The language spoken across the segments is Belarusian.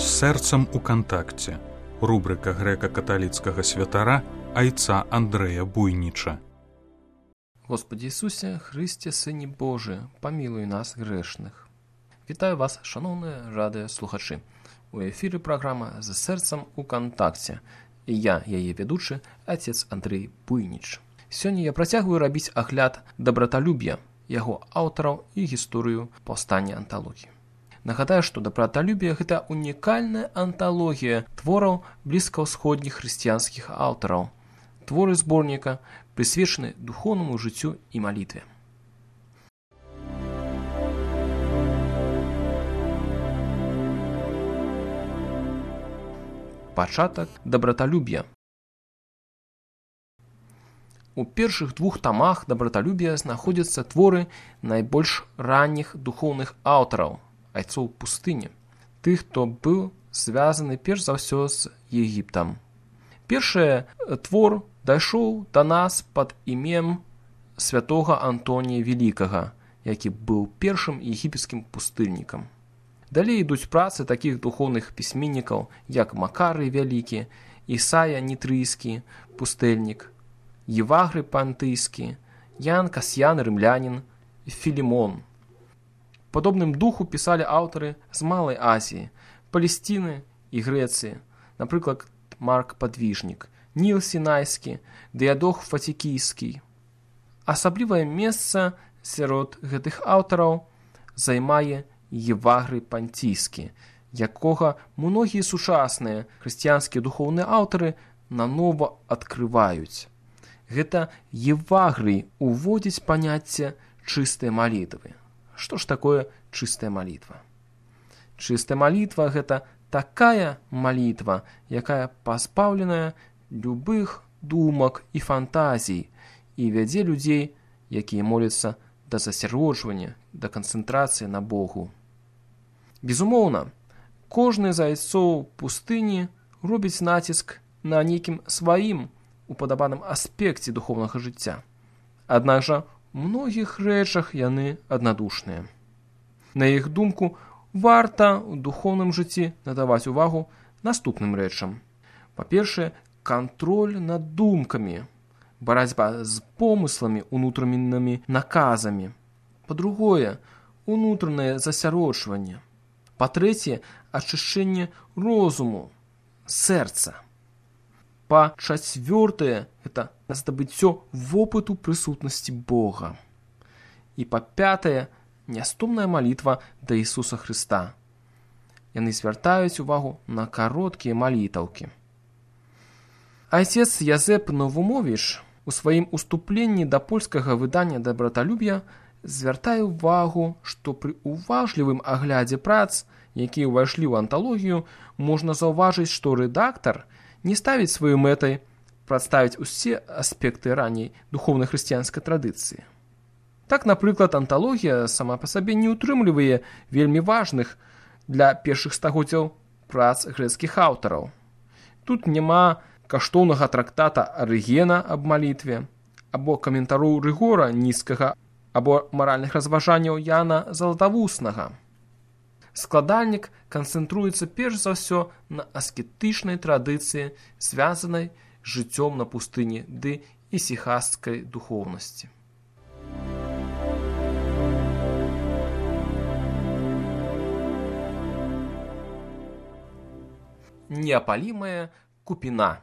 З сэрцам у кантакце. Рубрика грэка-каталіцкага святара айца Андрэя Буйніча. Господи Ісусе, Христе, Сыне Божий, памілуй нас грэшных. Вітаю вас, шановныя радыёслухачы. У эфіры праграма «З сэрцам у кантакце». І я, яе ведучы, отец Андрей Буйніч. Сёння я працягваю рабіць агляд дабраталюб'я, яго аўтараў і гісторыю паўстання анталогіі. Нагадаю, што дабраталюб'е – гэта унікальная анталогія твораў блізкаўсходніх хрысціянскіх аўтараў. Творы зборніка прысвечаны духоўнаму жыццю і малітве. Пачатак дабраталюб'я. У першых двух тамах дабраталюб'я знаходзяцца творы найбольш ранніх духоўных аўтараў, айцоў пустыні, тых, хто быў звязаны перш за ўсё з Егіптам. Першы твор дайшоў да нас пад імем святога Антонія Велікага, які быў першым егіпецкім пустыннікам. Далей ідуць працы такіх духоўных пісьменнікаў, як Макарый Вялікі, Ісая Нітрыйскі, пустэльнік, Евагрый Пантыйскі, Ян Касьян Рымлянін, Філімон. Падобным духу пісалі аўтары з Малай Азіі, Палесціны і Грэцыі, напрыклад, Марк Падвіжнік, Ніл Сінайскі, Дыядох Фатікійскі. Асаблівае месца сярод гэтых аўтараў займае Евагрый Пантійскі, якога многія сучасныя хрысціянскія духоўныя аўтары нанова адкрываюць. Гэта Евагрый уводзіць паняцце чыстай малітвы. Што ж такое чыстая малітва? Чыстая малітва – гэта такая малітва, якая пазбаўленая любых думак і фантазій і вядзе людзей, якія моляцца да засяроджвання, да канцэнтрацыі на Богу. Безумоўна, кожны з айцоў пустыні робіць націск на нейкім сваім упадабаным аспекце духоўнага жыцця. Аднак жа, у многіх рэчах яны аднадушныя. На іх думку, варта ў духоўным жыцці надаваць увагу наступным рэчам. Па-першае, кантроль над думкамі, барацьба з помысламі, унутранымі наказамі. Па-другое, унутранае засяроджванне. Па-трэцяе, ачышчэнне розуму, сэрца. Па-чацвёртае, гэта здабыццё вопыту прысутнасці Бога. І па-пятае, нястомная малітва да Ісуса Хрыста. Яны звяртаюць увагу на кароткія малітаўкі. Айцец Язэп Новумовіч у сваім уступленні да польскага выдання дабраталюб'я звяртае ўвагу, што пры уважлівым аглядзе прац, якія ўвайшлі ў анталогію, можна заўважыць, што рэдактар не ставіць сваёй мэтай прадставіць усе аспекты ранняй духоўнай хрысціянскай традыцыі. Так, напрыклад, анталогія сама па сабе не ўтрымлівае вельмі важных для першых стагоддзяў прац грэцкіх аўтараў. Тут няма каштоўнага трактата Арыгена аб малітве, або каментароў Рыгора Ніцкага, або маральных разважанняў Яна Залатавуснага. Складальнік канцэнтруецца перш за ўсё на аскетычнай традыцыі, звязанай з жыццём на пустыні ды ісіхасцкай духоўнасці. Неапалімая купіна.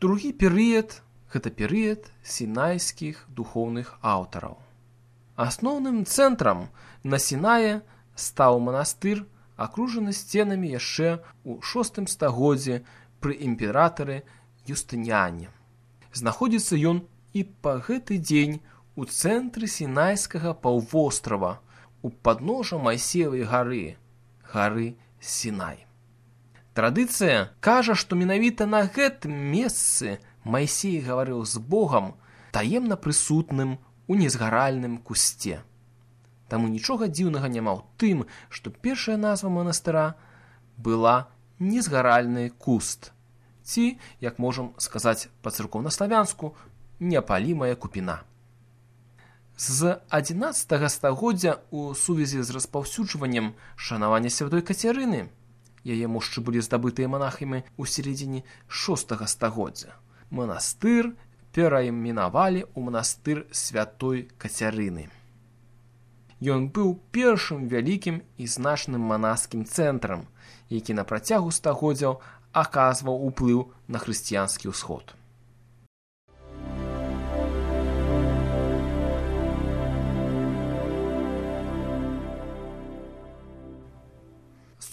Другі перыяд – гэта перыяд сінайскіх духоўных аўтараў. Асноўным цэнтрам на Сінае стаў манастыр, акружаны сценамі яшчэ ў VI стагоддзі пры імператары Юстыніяне. Знаходзіцца ён і па гэты дзень у цэнтры Сінайскага паўвострава, у падножжа Майсеевай гары, гары Сінай. Традыцыя кажа, што менавіта на гэтым месцы Майсей гаварыў з Богам, таемна прысутным у незгаральным кусце. Таму нічога дзіўнага няма ў тым, што першая назва манастыра была незгаральны куст, ці, як можам сказаць па-царкоўнаславянску, неапалімая купіна. З 11 стагоддзя у сувязі з распаўсюджваннем шанавання святой Кацярыны, яе мошчы былі здабытыя манахамі ў сярэдзіне 6 стагоддзя, манастыр перайменавалі ў манастыр святой Кацярыны. Ён быў першым вялікім і значным манаскім цэнтрам, які на працягу стагоддзяў аказваў уплыў на хрысціянскі ўсход.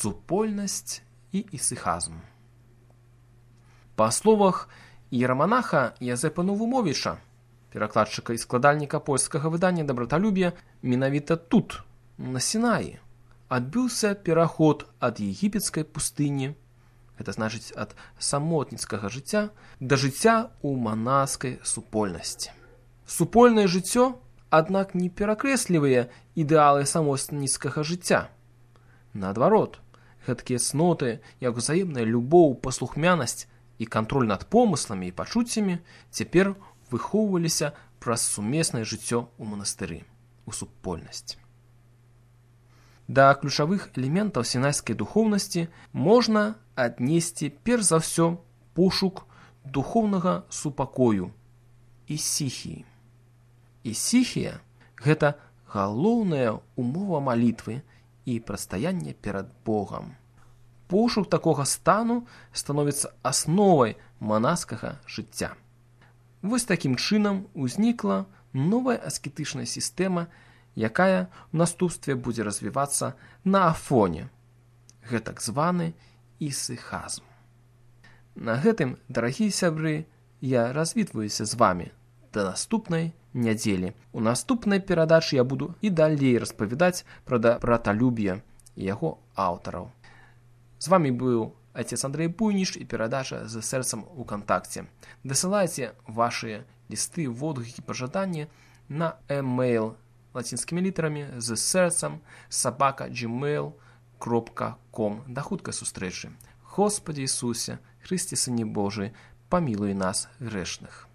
Супольнасць і ісыхазм. Па словах іераманаха Язэпа Новумовіча, перакладчыка і складальніка польскага выдання «Дабраталюб'я», менавіта тут, на Сінаі, адбыўся пераход ад егіпецкай пустыні, гэта значыць ад самотніцкага жыцця, да жыцця ў манаскай супольнасці. Супольнае жыццё, аднак, не перакрэслівае ідэалы самотніцкага жыцця. Наадварот, гэткія цноты, як узаемная любоў, паслухмянасць і кантроль над помысламі і пачуццямі цяпер выхоўваліся праз сумеснае жыццё ў манастыры, у супольнасці. Да ключавых элементаў сінайскай духоўнасці можна аднесці перш за ўсё пошук духоўнага супакою, ісіхіі. Ісіхія – гэта галоўная умова малітвы і прадстаяння перад Богам. Пошук такога стану становіцца асновай манаскага жыцця. Вось такім чынам узнікла новая аскетычная сістэма, якая ў наступстве будзе развівацца на афоне, гэтак званы ісыхазм. На гэтым, дарагія сябры, я развітваюся з вамі. Да наступнай нядзелі. У наступнай перадачы я буду і далей распавядаць пра дабраталюб'е і яго аўтараў. З вамі быў отец Андрей Буйніш і перадача «З сэрцам у кантакце». Дасылайце вашыя лісты, водгукі, пажаданні на e-mail лацінскімі літарамі «З сэрцам @gmail.com». Да хуткай сустрэчы. Господи Ісусе, Христе Сыне Божий, памілуй нас грэшных.